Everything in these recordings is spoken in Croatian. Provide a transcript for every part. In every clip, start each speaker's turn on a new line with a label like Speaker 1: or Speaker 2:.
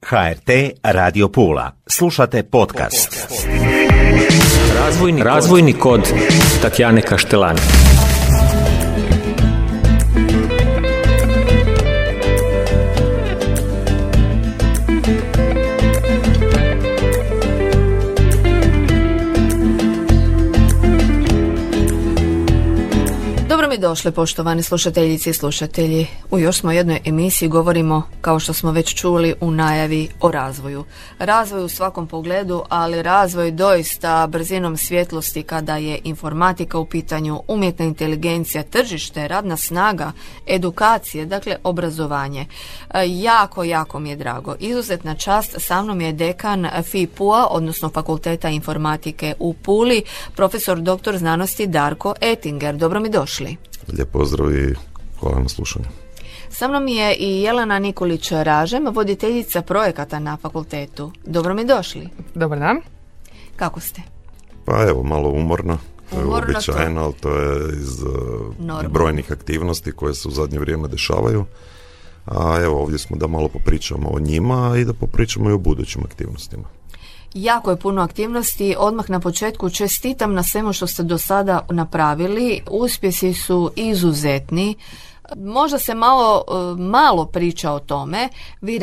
Speaker 1: HRT Radio Pula. Slušate podcast.
Speaker 2: Razvojni kod Tatjane Kaštelani.
Speaker 3: Dobro mi došli, poštovani slušateljice i slušatelji. U još smo jednoj emisiji, govorimo, kao što smo već čuli u najavi, o razvoju. Razvoj u svakom pogledu, ali razvoj doista brzinom svjetlosti kada je informatika u pitanju, umjetna inteligencija, tržište, radna snaga, edukacije, dakle obrazovanje. Jako mi je drago. Izuzetna čast, sa mnom je dekan FIPU-a, odnosno Fakulteta informatike u Puli, profesor dr. znanosti Darko Ettinger. Dobro mi došli.
Speaker 4: Lijep pozdrav i hvala na slušanju.
Speaker 3: Sa mnom je i Jelena Nikolić-Ražem, voditeljica projekata na fakultetu. Dobro mi došli.
Speaker 5: Dobar dan.
Speaker 3: Kako ste?
Speaker 4: Pa evo, malo umorno. To je uobičajeno, ali to je iz brojnih aktivnosti koje se u zadnje vrijeme dešavaju. A evo, ovdje smo da malo popričamo o njima i da popričamo i o budućim aktivnostima.
Speaker 3: Jako je puno aktivnosti. Odmah na početku čestitam na svemu što ste do sada napravili. Uspjesi su izuzetni. Možda se malo priča o tome. Vi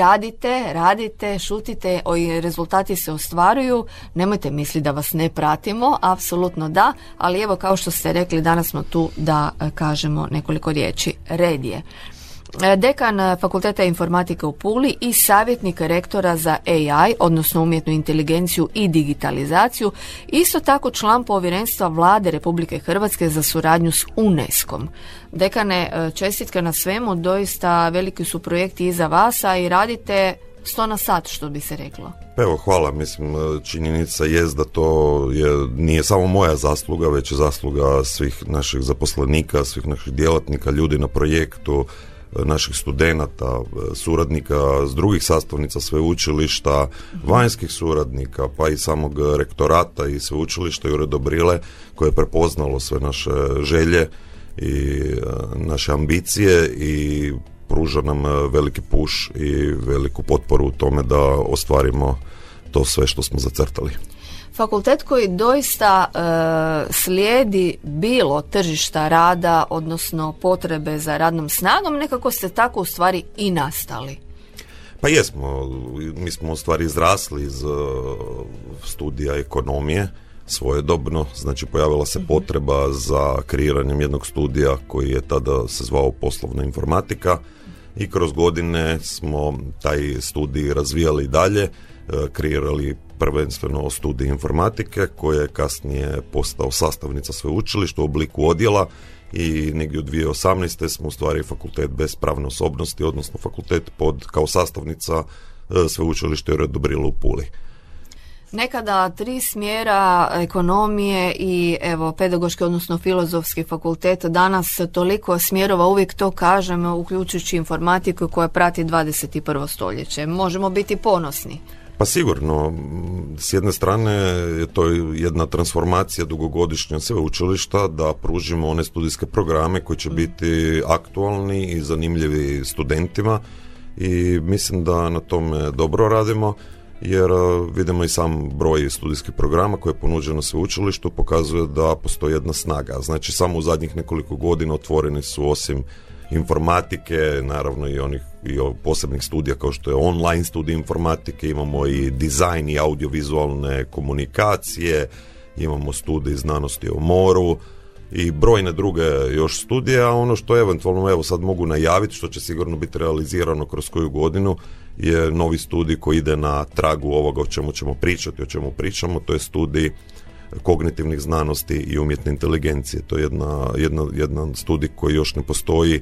Speaker 3: radite, šutite, rezultati se ostvaruju. Nemojte misliti da vas ne pratimo, apsolutno da, ali evo, kao što ste rekli, danas smo tu da kažemo nekoliko riječi. Red je. Dekan Fakulteta informatike u Puli i savjetnik rektora za AI, odnosno umjetnu inteligenciju i digitalizaciju, isto tako član povjerenstva Vlade Republike Hrvatske za suradnju s UNESCO-om. Dekane, čestitke na svemu, doista veliki su projekti iza vas, a i radite 100 na sat, što bi se reklo.
Speaker 4: Evo, hvala. Mislim, činjenica jest da to nije samo moja zasluga, već je zasluga svih naših zaposlenika, svih naših djelatnika, ljudi na projektu, naših studenata, suradnika s drugih sastavnica sveučilišta, vanjskih suradnika, pa i samog rektorata i sveučilišta i Uredobrile, koje je prepoznalo sve naše želje i naše ambicije i pruža nam veliki push i veliku potporu u tome da ostvarimo to sve što smo zacrtali.
Speaker 3: Fakultet koji doista slijedi bilo tržišta rada, odnosno potrebe za radnom snagom, nekako ste tako u stvari i nastali.
Speaker 4: Pa jesmo, mi smo u stvari izrasli iz studija ekonomije svojedobno, znači pojavila se potreba za kreiranjem jednog studija koji je tada se zvao poslovna informatika i kroz godine smo taj studij razvijali dalje, kreirali prvenstveno studij informatike koji je kasnije postao sastavnica sveučilišta u obliku odjela i negdje u 2018. smo u stvari fakultet bez pravne osobnosti, odnosno fakultet kao sastavnica sveučilišta Uredobrile u Puli.
Speaker 3: Nekada 3 smjera ekonomije i evo pedagoški, odnosno filozofski fakultet, danas toliko smjerova, uvijek to kažemo, uključujući informatiku koja prati 21. stoljeće. Možemo biti ponosni.
Speaker 4: Pa sigurno, s jedne strane je to jedna transformacija dugogodišnja sveučilišta da pružimo one studijske programe koji će biti aktualni i zanimljivi studentima i mislim da na tome dobro radimo jer vidimo i sam broj studijskih programa koje je ponuđeno na sveučilištu pokazuje da postoji jedna snaga. Znači samo u zadnjih nekoliko godina otvoreni su osim informatike, naravno i posebnih studija kao što je online studij informatike, imamo i dizajn i audiovizualne komunikacije, imamo studij znanosti o moru i brojne druge još studije, a ono što eventualno evo sad mogu najaviti, što će sigurno biti realizirano kroz koju godinu, je novi studij koji ide na tragu ovoga o čemu ćemo pričati, o čemu pričamo, to je studij kognitivnih znanosti i umjetne inteligencije. To je jedan studij koji još ne postoji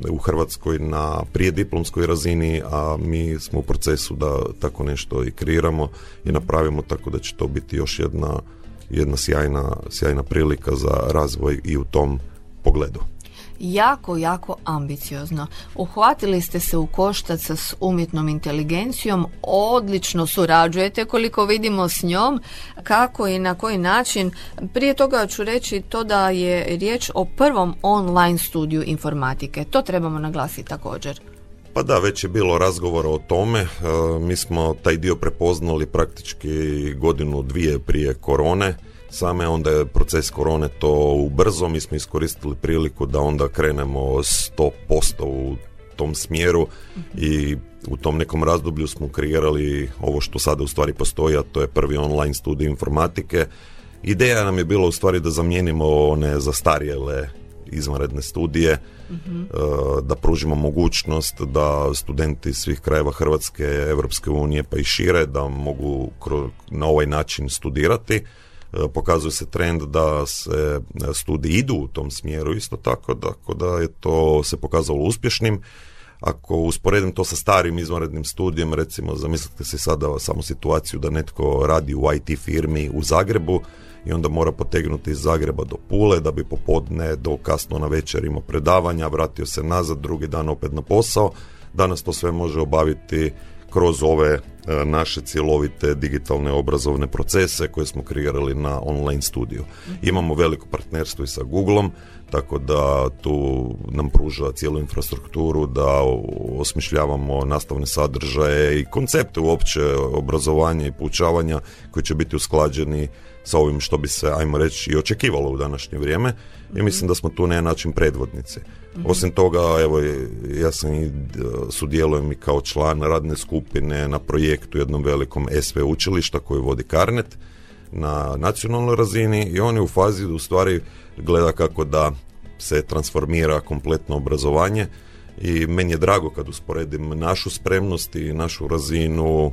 Speaker 4: u Hrvatskoj na prijediplomskoj razini, a mi smo u procesu da tako nešto i kreiramo i napravimo, tako da će to biti još jedna sjajna prilika za razvoj i u tom pogledu.
Speaker 3: Jako ambiciozno. Uhvatili ste se u koštac s umjetnom inteligencijom, odlično surađujete koliko vidimo s njom, kako i na koji način. Prije toga ću reći to da je riječ o prvom online studiju informatike. To trebamo naglasiti također.
Speaker 4: Pa da, već je bilo razgovora o tome. Mi smo taj dio prepoznali praktički godinu, dvije prije korone. Same onda je proces korone to ubrzo. Mi smo iskoristili priliku da onda krenemo 100% u tom smjeru i u tom nekom razdoblju smo kreirali ovo što sada u stvari postoji, a to je prvi online studij informatike. Ideja nam je bila u stvari da zamijenimo one zastarjele izvanredne studije, da pružimo mogućnost da studenti svih krajeva Hrvatske, Europske unije pa i šire da mogu na ovaj način studirati. Pokazuje se trend da se studiji idu u tom smjeru isto tako, da je to se pokazalo uspješnim. Ako usporedim to sa starim izvanrednim studijem, recimo zamislite si sada samo situaciju da netko radi u IT firmi u Zagrebu i onda mora potegnuti iz Zagreba do Pule da bi popodne do kasno na večer imao predavanja, vratio se nazad, drugi dan opet na posao. Danas to sve može obaviti kroz ove naše cjelovite digitalne obrazovne procese koje smo kreirali na online studiju. Imamo veliko partnerstvo i sa Googleom, tako da tu nam pruža cijelu infrastrukturu da osmišljavamo nastavne sadržaje i koncepte uopće obrazovanja i poučavanja koji će biti usklađeni sa ovim što bi se, ajmo reći, i očekivalo u današnje vrijeme. I mislim da smo tu na jedan način predvodnici. Osim toga, evo, ja sam i sudjelujem i kao član radne skupine na projektu jednom velikom SV učilišta koji vodi Carnet na nacionalnoj razini i on je u fazi u stvari gleda kako da se transformira kompletno obrazovanje i meni je drago kad usporedim našu spremnost i našu razinu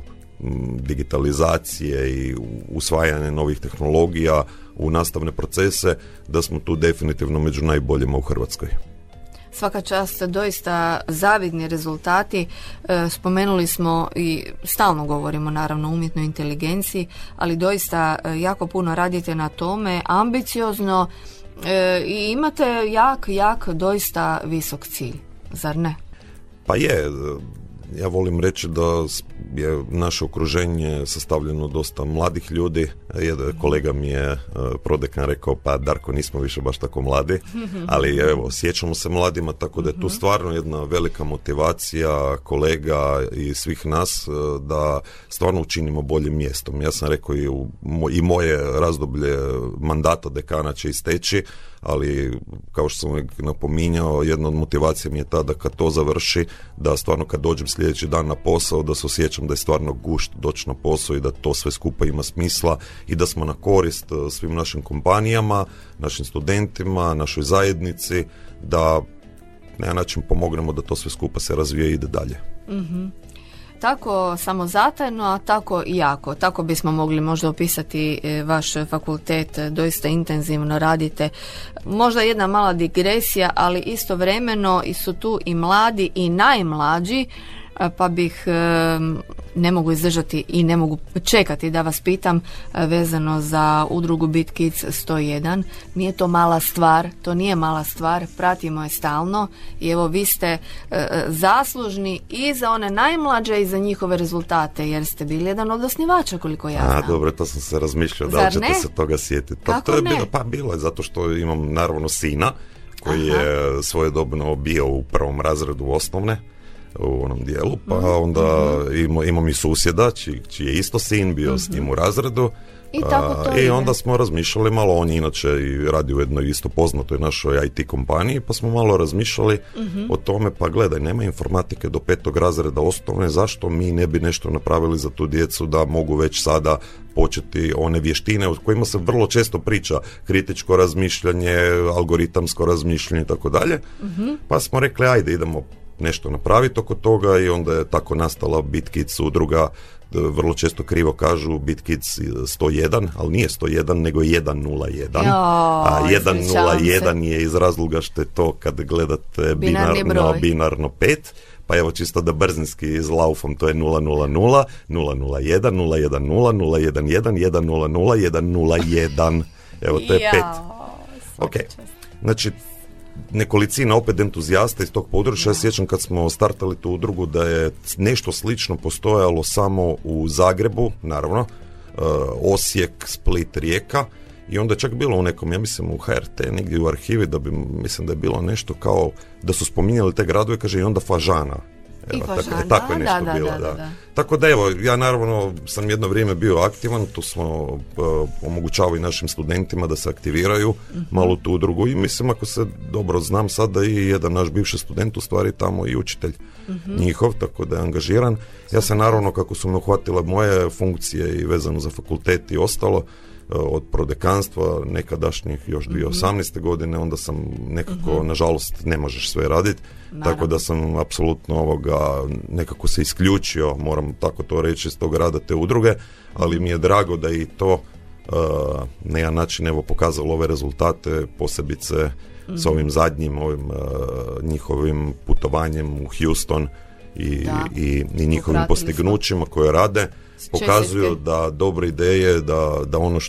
Speaker 4: digitalizacije i usvajanje novih tehnologija u nastavne procese, da smo tu definitivno među najboljima u Hrvatskoj.
Speaker 3: Svaka čast, doista zavidni rezultati. Spomenuli smo i stalno govorimo naravno o umjetnoj inteligenciji, ali doista jako puno radite na tome, ambiciozno i imate jak, doista visok cilj, zar ne?
Speaker 4: Pa je, ja volim reći da je naše okruženje sastavljeno dosta mladih ljudi. Jedan kolega mi je prodekan rekao, pa Darko, nismo više baš tako mladi, ali evo, sjećamo se mladima, tako da je tu stvarno jedna velika motivacija kolega i svih nas da stvarno učinimo boljim mjestom. Ja sam rekao i moje razdoblje mandata dekana će isteći, ali kao što sam napominjao, jedna od motivacija mi je ta da kad to završi, da stvarno kad dođem sljedeći dan na posao, da se osjećam da je stvarno gušt doći na posao i da to sve skupa ima smisla i da smo na korist svim našim kompanijama, našim studentima, našoj zajednici, da na jedan način pomognemo da to sve skupa se razvije i ide dalje.
Speaker 3: Tako samozatajno, a tako i jako. Tako bismo mogli možda opisati vaš fakultet, doista intenzivno radite. Možda jedna mala digresija, ali istovremeno su tu i mladi i najmlađi, pa bih, ne mogu izdržati i ne mogu čekati da vas pitam vezano za udrugu Beat Kids 101. Nije to mala stvar, to nije mala stvar, pratimo je stalno i evo vi ste zaslužni i za one najmlađe i za njihove rezultate, jer ste bili jedan od osnivača, koliko ja znam.
Speaker 4: Dobro, to sam se razmišljao, da li ćete se toga sjetiti. Pa to je bilo je zato što imam naravno sina koji je svojedobno bio u prvom razredu osnovne u onom dijelu, pa onda imam i susjeda čiji je isto sin bio s njim u razredu i onda smo razmišljali malo, on je inače i radi u jednoj isto poznatoj našoj IT kompaniji, pa smo malo razmišljali o tome, pa gledaj, nema informatike do 5. razreda osnovne, zašto mi ne bi nešto napravili za tu djecu da mogu već sada početi one vještine o kojima se vrlo često priča, kritičko razmišljanje, algoritamsko razmišljanje i tako dalje, pa smo rekli ajde idemo nešto napraviti oko toga i onda je tako nastala Beat Kids udruga. Vrlo često krivo kažu Beat Kids 101, ali nije 101 nego 101. A 101 je iz razloga što je to kad gledate binarno 5, pa evo čisto da brzinski izlaufam, to je 000, 001, 010, 011, 100, 101. Evo to je 5. Ok, znači nekolicina opet entuzijasta iz tog područja. Ja sjećam kad smo startali tu udrugu da je nešto slično postojalo samo u Zagrebu, naravno, Osijek, Split, Rijeka i onda je čak bilo u nekom, ja mislim u HRT, negdje u arhivi, da bi, mislim da je bilo nešto kao da su spominjali te gradove, kaže i onda Fažana. Evo, tako je nešto bilo. Da. Tako da evo, ja naravno sam jedno vrijeme bio aktivan, tu smo omogućavali našim studentima da se aktiviraju malo tu udrugu i mislim, ako se dobro znam, sada i jedan naš bivši student u stvari tamo i učitelj njihov, tako da je angažiran. Ja se naravno, kako su me uhvatile moje funkcije i vezano za fakultet i ostalo, od prodekanstva nekadašnjih još 2018. godine, onda sam nekako, nažalost, ne možeš sve raditi, tako da sam apsolutno nekako se isključio, moram tako to reći, iz tog rada te udruge, ali mi je drago da i to na jedan način evo pokazalo ove rezultate, posebice s ovim zadnjim njihovim putovanjem u Houston i njihovim postignućima koje rade. Pokazuju da dobre ideje, da ono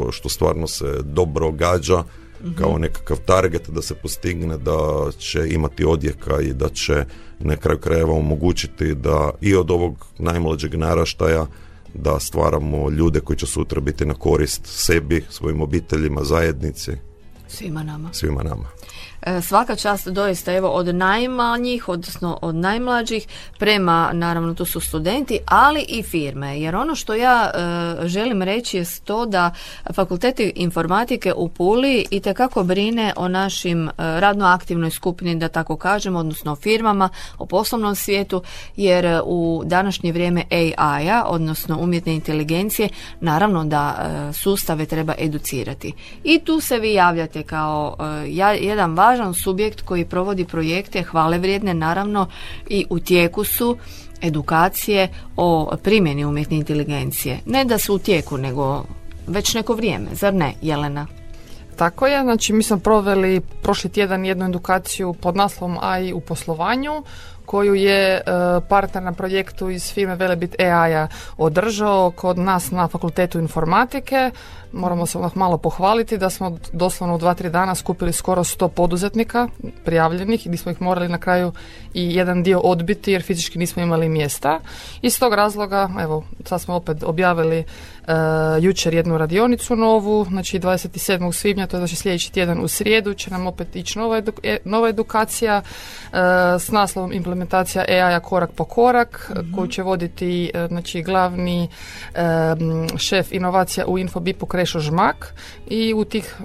Speaker 4: što stvarno se dobro gađa kao nekakav target da se postigne, da će imati odjeka i da će na kraju krajeva omogućiti da i od ovog najmlađeg naraštaja da stvaramo ljude koji će sutra biti na korist sebi, svojim obiteljima, zajednici.
Speaker 3: Svima nama. Svaka čast doista, evo, od najmanjih, odnosno od najmlađih prema, naravno tu su studenti, ali i firme, jer ono što ja želim reći je to da Fakultet informatike u Puli itekako brine o našim radno aktivnoj skupini, da tako kažem, odnosno o firmama, o poslovnom svijetu, jer u današnje vrijeme AI-a, odnosno umjetne inteligencije, naravno da sustave treba educirati. I tu se vi javljate kao jedan važan subjekt koji provodi projekte hvale vrijedne, naravno, i u tijeku su edukacije o primjeni umjetne inteligencije. Ne da su u tijeku, nego već neko vrijeme, zar ne, Jelena?
Speaker 5: Tako je, znači mi smo proveli prošli tjedan jednu edukaciju pod naslovom AI u poslovanju, koju je partner na projektu iz firme Velebit AI-a održao kod nas na Fakultetu informatike. Moramo se malo pohvaliti da smo doslovno u 2-3 dana skupili skoro 100 poduzetnika prijavljenih i gdje smo ih morali na kraju i jedan dio odbiti jer fizički nismo imali mjesta. Iz tog razloga, evo, sad smo opet objavili jučer jednu radionicu novu, znači 27. svibnja, to je znači sljedeći tjedan u srijedu će nam opet ići nova edukacija s naslovom implementacija AI-a korak po korak, koju će voditi znači glavni šef inovacija u Infobipu Krešo Žmak i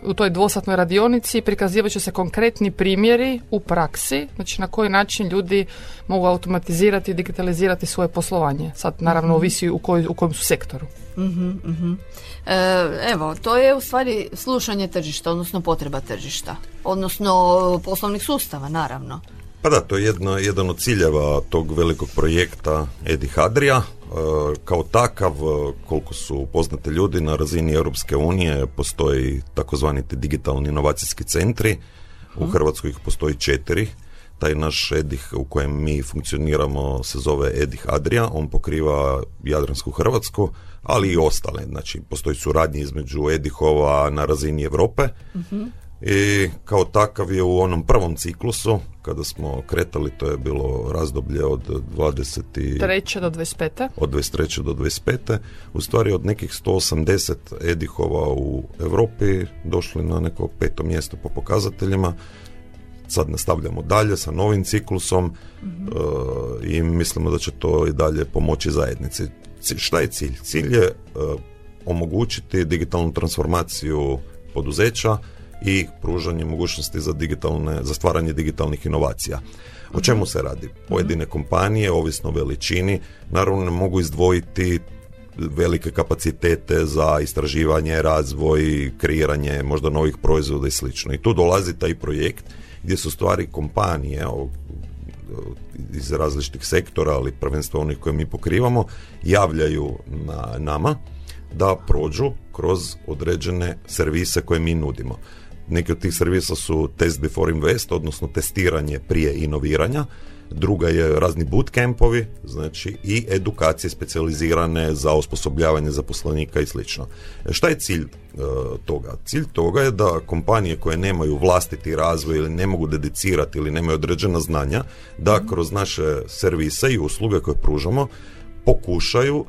Speaker 5: u toj dvosatnoj radionici prikazivat će se konkretni primjeri u praksi, znači na koji način ljudi mogu automatizirati i digitalizirati svoje poslovanje. Sad naravno ovisi u kojem su sektoru.
Speaker 3: Evo, to je u stvari slušanje tržišta, odnosno potreba tržišta, odnosno poslovnih sustava, naravno.
Speaker 4: Pa da, to je jedan od ciljeva tog velikog projekta Edih Adria. Kao takav, koliko su poznate ljudi, na razini Europske unije postoji takozvani digitalni inovacijski centri. U Hrvatskoj ih postoji 4. Taj naš Edih u kojem mi funkcioniramo se zove Edih Adria, on pokriva Jadransku Hrvatsku, ali i ostale. Znači, postoji suradnja između Edihova na razini Europe i kao takav je u onom prvom ciklusu, kada smo kretali, to je bilo razdoblje od 23.
Speaker 5: do 25.
Speaker 4: Od 23. do 25. U stvari od nekih 180 Edihova u Europi došli na neko 5. mjesto po pokazateljima. Sad nastavljamo dalje sa novim ciklusom i mislimo da će to i dalje pomoći zajednici. Šta je cilj? Cilj je omogućiti digitalnu transformaciju poduzeća i pružanje mogućnosti za stvaranje digitalnih inovacija. O čemu se radi? Pojedine kompanije, ovisno o veličini, naravno ne mogu izdvojiti velike kapacitete za istraživanje, razvoj, kreiranje možda novih proizvoda i slično. I tu dolazi taj projekt gdje su stvari kompanije iz različitih sektora, ali prvenstveno onih koje mi pokrivamo, javljaju na nama da prođu kroz određene servise koje mi nudimo. Neki od tih servisa su test before invest, odnosno testiranje prije inoviranja. Druga je razni bootcampovi, znači i edukacije specijalizirane za osposobljavanje zaposlenika i slično. Šta je cilj toga? Cilj toga je da kompanije koje nemaju vlastiti razvoj ili ne mogu dedicirati ili nemaju određena znanja, da kroz naše servise i usluge koje pružamo pokušaju,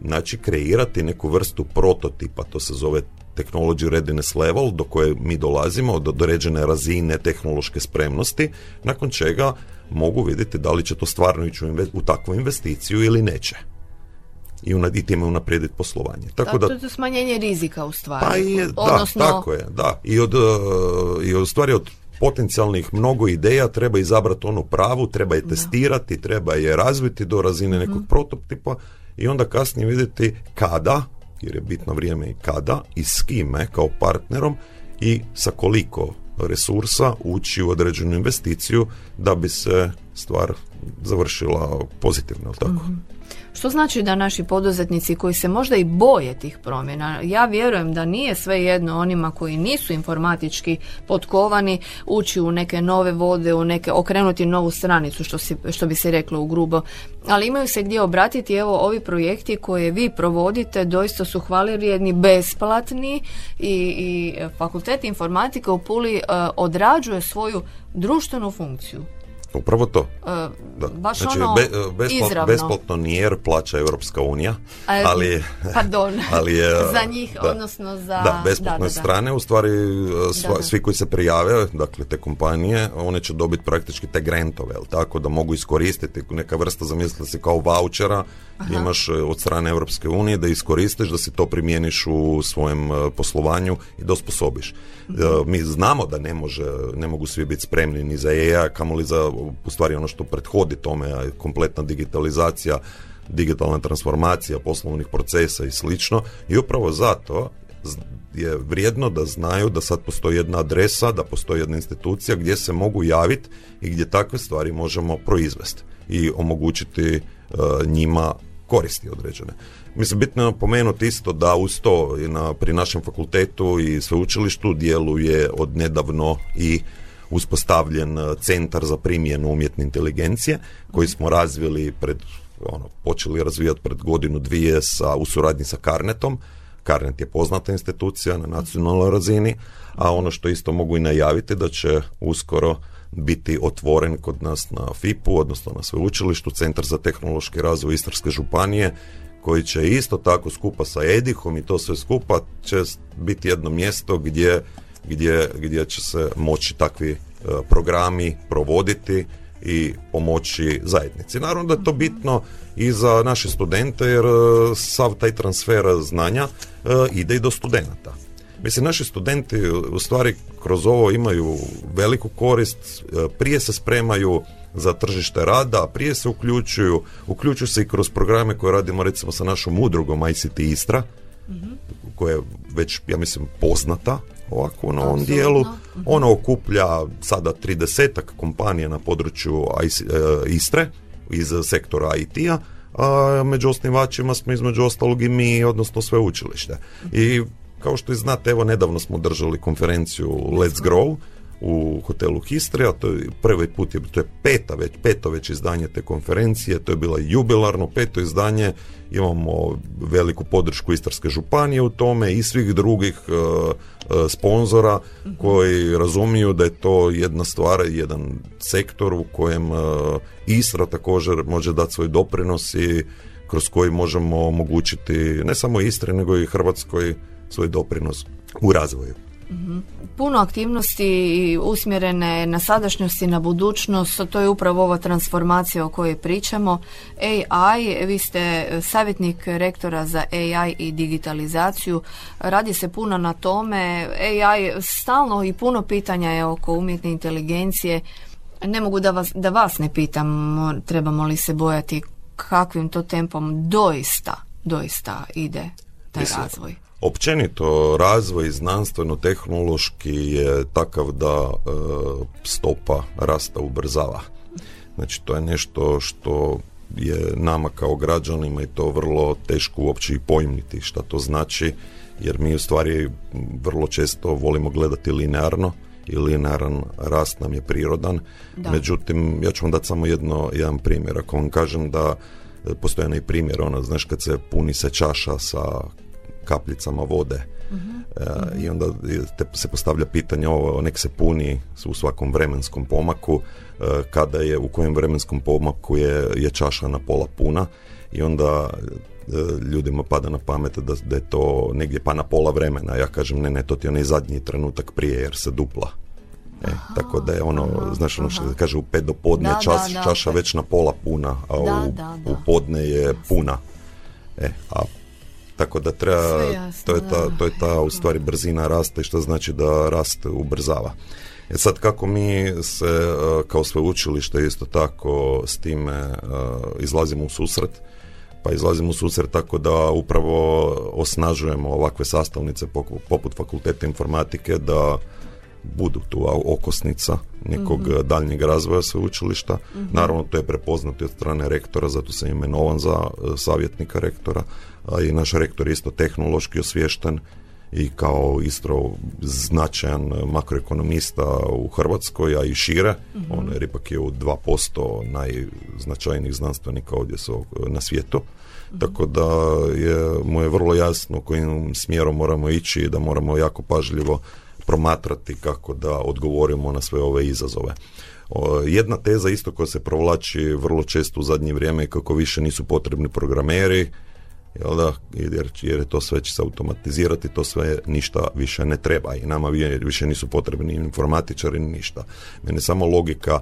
Speaker 4: znači, kreirati neku vrstu prototipa, to se zove technology readiness level, do koje mi dolazimo, do određene razine tehnološke spremnosti, nakon čega mogu vidjeti da li će to stvarno ići u takvu investiciju ili neće. I time unaprijediti poslovanje. Tako da,
Speaker 3: to je smanjenje rizika u stvari.
Speaker 4: Pa je,
Speaker 3: odnosno...
Speaker 4: da, tako je, da. I u stvari od potencijalnih mnogo ideja treba izabrati onu pravu, treba je testirati, treba je razviti do razine nekog prototipa i onda kasnije vidjeti kada, jer je bitno vrijeme i kada, i s kime kao partnerom i sa koliko resursa ući u određenu investiciju da bi se stvar završila pozitivno, jel tako?
Speaker 3: Što znači da naši poduzetnici koji se možda i boje tih promjena, ja vjerujem da nije svejedno onima koji nisu informatički potkovani ući u neke nove vode, okrenuti novu stranicu, što bi se reklo u grubo, ali imaju se gdje obratiti. Evo, ovi projekti koje vi provodite doista su hvalevrijedni, besplatni i Fakultet informatike u Puli odrađuje svoju društvenu funkciju.
Speaker 4: Upravo to.
Speaker 3: Baš
Speaker 4: znači,
Speaker 3: izravno.
Speaker 4: Besplatno nije jer plaća Europska unija, ali...
Speaker 3: Pardon,
Speaker 4: ali
Speaker 3: za njih, odnosno za...
Speaker 4: Da, besplatne strane, u stvari svi koji se prijave, dakle te kompanije, one će dobiti praktički te grantove, tako da mogu iskoristiti neka vrsta, zamislite si kao vouchera, imaš od strane Europske unije da iskoristiš, da si to primjeniš u svojem poslovanju i da osposobiš. Mi znamo da ne mogu svi biti spremni ni za AI, kamoli za u stvari ono što prethodi tome, kompletna digitalizacija, digitalna transformacija poslovnih procesa i slično. I upravo zato je vrijedno da znaju da sad postoji jedna adresa, da postoji jedna institucija gdje se mogu javiti i gdje takve stvari možemo proizvesti i omogućiti njima koristi određene. Mislim, bitno je napomenuti isto da uz to pri našem fakultetu i sveučilištu djeluje od nedavno i uspostavljen centar za primjenu umjetne inteligencije koji smo razvili počeli razvijati pred godinu, dvije u suradnji sa Carnetom. Carnet je poznata institucija na nacionalnoj razini, a ono što isto mogu i najaviti da će uskoro biti otvoren kod nas na FIP-u, odnosno na sveučilištu, Centar za tehnološki razvoj Istarske županije, koji će isto tako skupa sa EDIH-om i to sve skupa će biti jedno mjesto gdje će se moći takvi programi provoditi i pomoći zajednici. Naravno da je to bitno i za naše studente jer sav taj transfer znanja ide i do studenata. Mislim, naši studenti u stvari kroz ovo imaju veliku korist, prije se spremaju za tržište rada, prije se uključuju se i kroz programe koje radimo recimo sa našom udrugom ICT Istra, koja je već, ja mislim, poznata ovako na ovom dijelu. Ona okuplja sada 30 kompanija na području Istre iz sektora IT-a, a među osnivačima smo između ostalog i mi, odnosno sveučilište. I kao što i znate, evo nedavno smo držali konferenciju Let's Grow u hotelu Histrija, to je prvi put, to je peto već izdanje te konferencije, to je bilo jubilarno 5. izdanje, imamo veliku podršku Istarske županije u tome i svih drugih sponzora koji razumiju da je to jedna stvar, jedan sektor u kojem Istra također može dati svoj doprinos i kroz koji možemo omogućiti ne samo Istri nego i Hrvatskoj svoj doprinos u razvoju.
Speaker 3: Puno aktivnosti usmjerene na sadašnjost i na budućnost, to je upravo ova transformacija o kojoj pričamo. AI, vi ste savjetnik rektora za AI i digitalizaciju, radi se puno na tome. AI stalno i puno pitanja je oko umjetne inteligencije. Ne mogu da vas ne pitam, trebamo li se bojati kakvim to tempom doista ide taj razvoj.
Speaker 4: Općenito razvoj znanstveno-tehnološki je takav da stopa rasta ubrzava. Znači to je nešto što je nama kao građanima i to vrlo teško uopće i pojmiti šta to znači, jer mi u stvari vrlo često volimo gledati linearno i linearan rast nam je prirodan. Da. Međutim, ja ću vam dati samo jedan primjer. Ako vam kažem da postoji onaj primjer, znaš kad se puni se čaša sa kapljicama vode i onda se postavlja pitanje nek se puni u svakom vremenskom pomaku, u kojem vremenskom pomaku je čaša na pola puna i onda ljudima pada na pamet da je to negdje pa na pola vremena. Ja kažem ne, to ti je onaj zadnji trenutak prije jer se dupla Tako da je znaš ono što se kaže u 5 do podne, čaša već na pola puna, a u podne je puna. Tako da treba, jasno, to je ta u stvari brzina rasta i što znači da rast ubrzava. Sad kako mi se kao sveučilište isto tako s time izlazimo u susret, pa izlazimo u susret tako da upravo osnažujemo ovakve sastavnice poput Fakulteta informatike da budu tu okosnica nekog daljnjeg razvoja sveučilišta. Naravno to je prepoznato od strane rektora, zato sam imenovan za savjetnika rektora, a i naš rektor je isto tehnološki osviješten i kao isto značajan makroekonomista u Hrvatskoj, a i šire. On je ipak je u 2% najznačajnijih znanstvenika ovdje na svijetu. Tako da mu je vrlo jasno kojim smjerom moramo ići i da moramo jako pažljivo promatrati kako da odgovorimo na sve ove izazove. Jedna teza isto koja se provlači vrlo često u zadnje vrijeme je kako više nisu potrebni programeri, jer je to sve će se automatizirati, to sve ništa više ne treba i nama više nisu potrebni informatičari ni ništa. Mene samo logika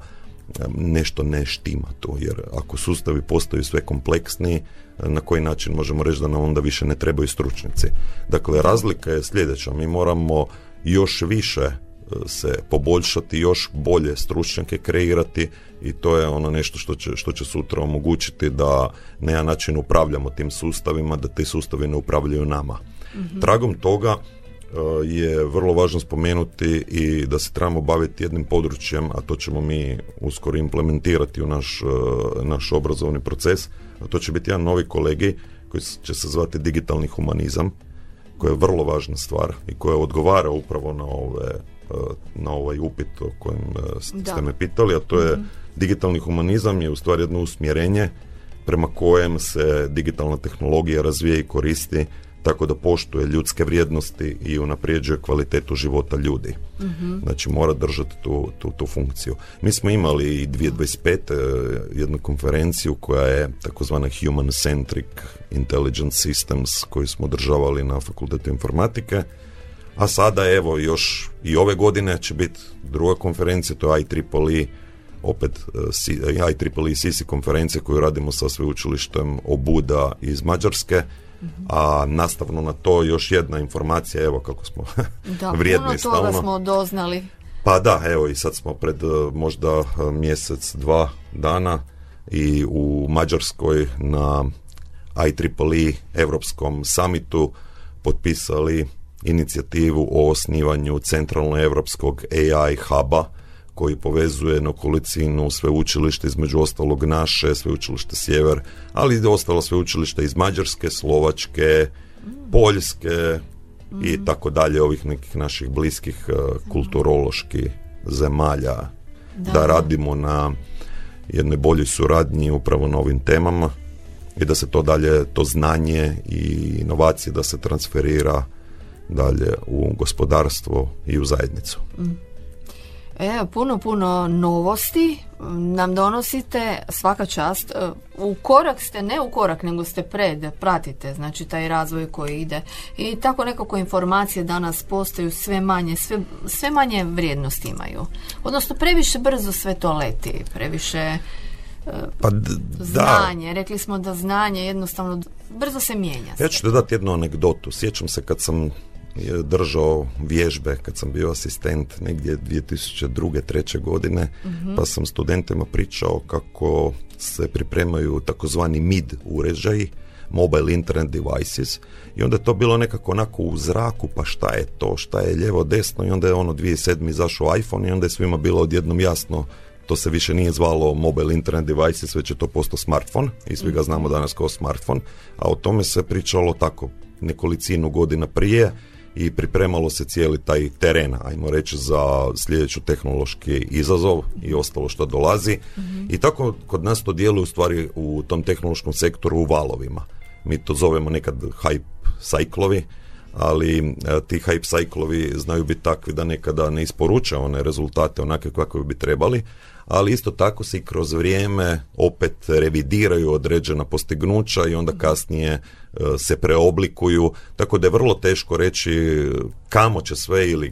Speaker 4: nešto ne štima tu, jer ako sustavi postaju sve kompleksniji, na koji način možemo reći da nam onda više ne trebaju stručnjaci. Dakle, razlika je sljedeća, mi moramo još više se poboljšati, još bolje stručnjake kreirati i to je ono nešto što će sutra omogućiti da na jedan način upravljamo tim sustavima, da ti sustavi ne upravljaju nama. Tragom toga je vrlo važno spomenuti i da se trebamo baviti jednim područjem, a to ćemo mi uskoro implementirati u naš obrazovni proces, a to će biti jedan novi kolegij koji će se zvati digitalni humanizam, koja je vrlo važna stvar i koja odgovara upravo na ovaj upit o kojem ste me pitali, a to je digitalni humanizam je u stvari jedno usmjerenje prema kojem se digitalna tehnologija razvija i koristi tako da poštuje ljudske vrijednosti i unapređuje kvalitetu života ljudi. Znači mora držati tu funkciju. Mi smo imali i 2025. jednu konferenciju koja je takozvana Human Centric Intelligent Systems koju smo održavali na Fakultetu informatike, a sada evo još i ove godine će biti druga konferencija, to je IEEE, opet IEEE CC konferencija koju radimo sa sveučilištem Obuda iz Mađarske, a nastavno na to još jedna informacija, evo kako smo vrijedni stalno.
Speaker 3: Da, puno toga smo doznali.
Speaker 4: Pa da, evo i sad smo pred možda mjesec, 2 dana i u Mađarskoj na IEEE Europskom summitu potpisali inicijativu o osnivanju centralno-europskog AI huba koji povezuje nekolicinu sveučilišta, između ostalog naše, sveučilište Sjever, ali i ostalo sveučilišta iz Mađarske, Slovačke, Poljske i tako dalje, ovih nekih naših bliskih kulturoloških zemalja, da radimo na jednoj boljoj suradnji upravo na ovim temama i da se to dalje, to znanje i inovacije da se transferira dalje u gospodarstvo i u zajednicu.
Speaker 3: Puno novosti nam donosite, svaka čast. U korak ste, ne u korak, nego ste pratite, znači taj razvoj koji ide. I tako nekako informacije danas postaju sve manje vrijednosti imaju. Odnosno previše brzo sve to leti, previše znanje. Rekli smo da znanje jednostavno brzo se mijenja.
Speaker 4: Ja ću ti dati jednu anegdotu. Sjećam se kad sam držao vježbe, kad sam bio asistent negdje 2002. 2003. godine, pa sam studentima pričao kako se pripremaju takozvani MID uređaji, Mobile Internet Devices, i onda je to bilo nekako onako u zraku, pa šta je to, šta je lijevo, desno, i onda je 2007. izašao iPhone i onda je svima bilo odjednom jasno, to se više nije zvalo Mobile Internet Devices, već je to postao smartphone i svi ga znamo danas kao smartphone, a o tome se pričalo tako nekolicinu godina prije i pripremalo se cijeli taj teren, ajmo reći, za sljedeću tehnološki izazov i ostalo što dolazi. I tako kod nas to djeluje u stvari u tom tehnološkom sektoru u valovima. Mi to zovemo nekad hype sajklovi, ali ti hype sajklovi znaju biti takvi da nekada ne isporuče one rezultate onake kakve bi trebali, ali isto tako se i kroz vrijeme opet revidiraju određena postignuća i onda kasnije se preoblikuju, tako da je vrlo teško reći kamo će sve ili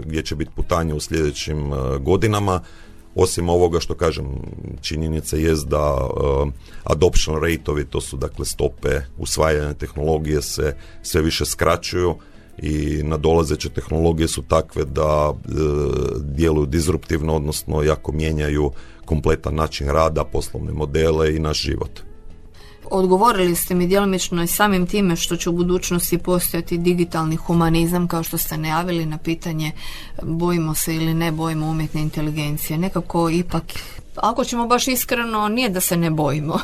Speaker 4: gdje će biti putanje u sljedećim godinama. Osim ovoga što kažem, činjenica jest da adoption rate-ovi, to su dakle stope usvajanja tehnologije, se sve više skraćuju i nadolazeće tehnologije su takve da djeluju disruptivno, odnosno jako mijenjaju kompletan način rada, poslovne modele i naš život.
Speaker 3: Odgovorili ste mi djelomično i samim time što će u budućnosti postojati digitalni humanizam, kao što ste najavili na pitanje bojimo se ili ne bojimo umjetne inteligencije. Nekako ipak, ako ćemo baš iskreno, nije da se ne bojimo.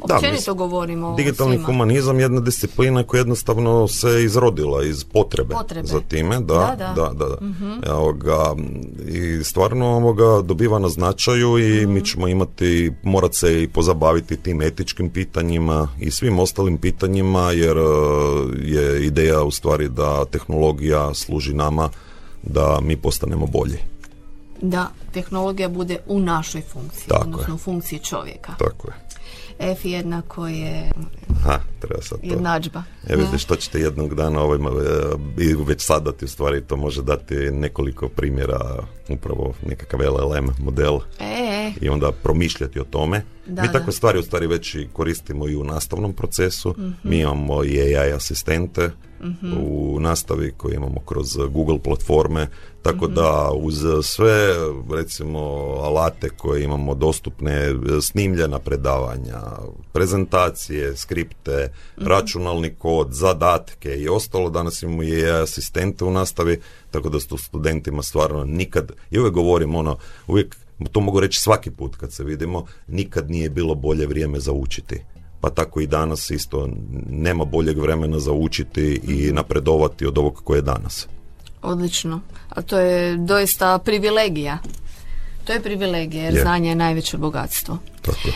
Speaker 3: Općenito govorimo
Speaker 4: digitalni
Speaker 3: svima.
Speaker 4: Humanizam je jedna disciplina koja jednostavno se izrodila iz potrebe. za time. Da. Mm-hmm. I stvarno dobiva na značaju i mi ćemo morat se i pozabaviti tim etičkim pitanjima i svim ostalim pitanjima, jer je ideja u stvari da tehnologija služi nama da mi postanemo bolji.
Speaker 3: Da, tehnologija bude u našoj funkciji, odnosno u funkciji čovjeka.
Speaker 4: Tako je.
Speaker 3: F jednako je
Speaker 4: treba sad to.
Speaker 3: Jednadžba.
Speaker 4: Vidiš, to ćete jednog dana i već sad dati, u stvari to može dati nekoliko primjera, upravo nekakav LLM model i onda promišljati o tome. Mi takve stvari u stvari već i koristimo i u nastavnom procesu. Mm-hmm. Mi imamo i AI asistente u nastavi koje imamo kroz Google platforme, tako da uz sve recimo alate koje imamo dostupne, snimljena predavanja, prezentacije, skripte, računalni kod, zadatke i ostalo, danas imamo i AI asistente u nastavi, tako da su studentima stvarno nikad, i uvijek govorim uvijek, to mogu reći svaki put kad se vidimo, nikad nije bilo bolje vrijeme za učiti. Pa tako i danas isto nema boljeg vremena za učiti i napredovati od ovog koje je danas.
Speaker 3: Odlično. A to je doista privilegija. To je privilegija, jer znanje je najveće bogatstvo.
Speaker 4: Tako.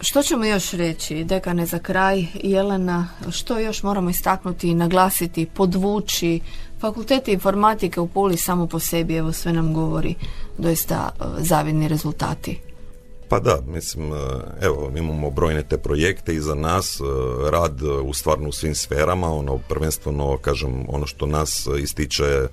Speaker 3: Što ćemo još reći, dekane, za kraj? Jelena, što još moramo istaknuti, naglasiti, podvući? Fakultet informatike u Puli samo po sebi, evo, sve nam govori doista zavidni rezultati.
Speaker 4: Pa da, mislim, evo, imamo brojne te projekte iza nas, rad u svim sferama, prvenstveno, kažem, ono što nas ističe,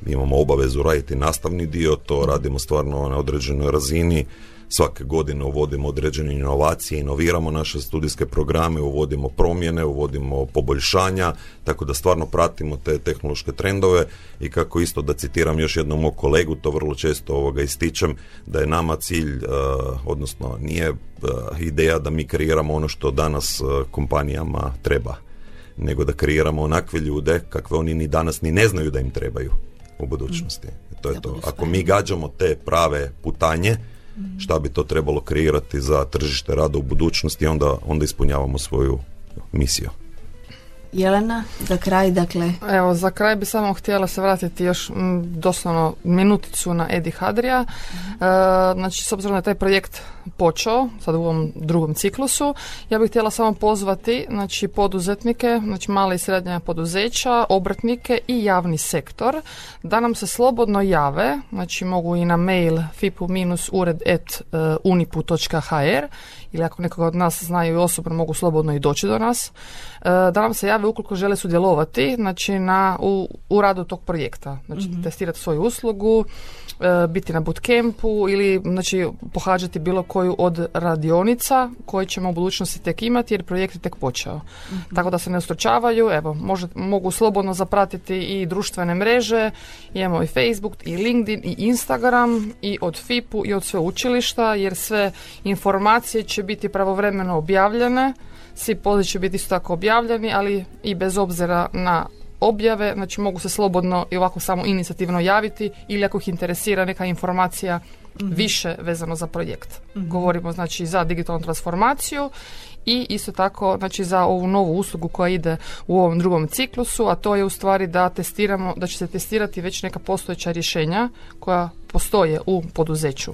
Speaker 4: imamo obavezu raditi nastavni dio, to radimo stvarno na određenoj razini. Svake godine uvodimo određene inovacije, inoviramo naše studijske programe, uvodimo promjene, uvodimo poboljšanja, tako da stvarno pratimo te tehnološke trendove i kako isto da citiram još jednom mog kolegu, to vrlo često ističem, da je nama cilj, odnosno nije ideja da mi kreiramo ono što danas kompanijama treba, nego da kreiramo onakve ljude kakve oni ni danas ni ne znaju da im trebaju u budućnosti. To je to. Ako mi gađamo te prave putanje, šta bi to trebalo kreirati za tržište rada u budućnosti, onda ispunjavamo svoju misiju.
Speaker 3: Jelena, za kraj, dakle...
Speaker 5: Evo, za kraj bi samo htjela se vratiti još doslovno minuticu na Edi Hadrija. Znači, s obzirom da je taj projekt počeo, sad u ovom drugom ciklusu, ja bih htjela samo pozvati, znači, poduzetnike, znači male i srednje poduzeća, obrtnike i javni sektor, da nam se slobodno jave, znači mogu i na mail fipu-ured@unipu.hr ili ako nekoga od nas znaju i osobno, mogu slobodno i doći do nas, da nam se jave ukoliko žele sudjelovati, znači u radu tog projekta, znači testirati svoju uslugu, biti na bootcampu ili znači pohađati bilo koju od radionica koje ćemo u budućnosti tek imati, jer projekt je tek počeo. Tako da se ne ustručavaju, evo, mogu slobodno zapratiti i društvene mreže, imamo i Facebook, i LinkedIn, i Instagram, i od FIPU, i od sveučilišta, jer sve informacije će biti pravovremeno objavljene, svi pozivi će biti isto tako objavljeni, ali i bez obzira na objave, znači mogu se slobodno i ovako samo inicijativno javiti ili ako ih interesira neka informacija više vezano za projekt. Govorimo znači za digitalnu transformaciju i isto tako znači za ovu novu uslugu koja ide u ovom drugom ciklusu, a to je u stvari da će se testirati već neka postojeća rješenja koja postoje u poduzeću.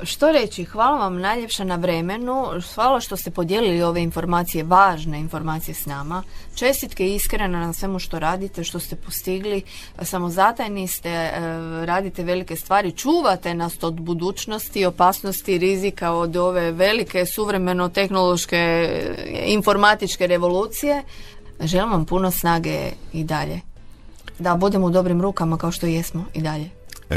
Speaker 3: Što reći, hvala vam najljepša na vremenu, hvala što ste podijelili ove informacije, važne informacije s nama. Čestitke iskreno na svemu što radite, što ste postigli, samozatajni ste, radite velike stvari, čuvate nas od budućnosti, opasnosti, rizika od ove velike suvremeno-tehnološke informatičke revolucije. Želim vam puno snage i dalje. Da budemo u dobrim rukama kao što jesmo i dalje.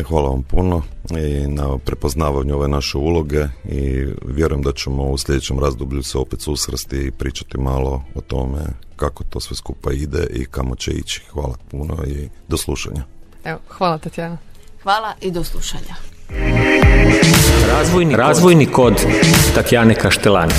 Speaker 4: Hvala vam puno i na prepoznavanju ove naše uloge i vjerujem da ćemo u sljedećem razdoblju se opet susresti i pričati malo o tome kako to sve skupa ide i kamo će ići. Hvala puno i do slušanja.
Speaker 5: Evo, hvala Tatjana.
Speaker 3: Hvala i do slušanja.
Speaker 2: Razvojni kod Tatjane Kaštelani.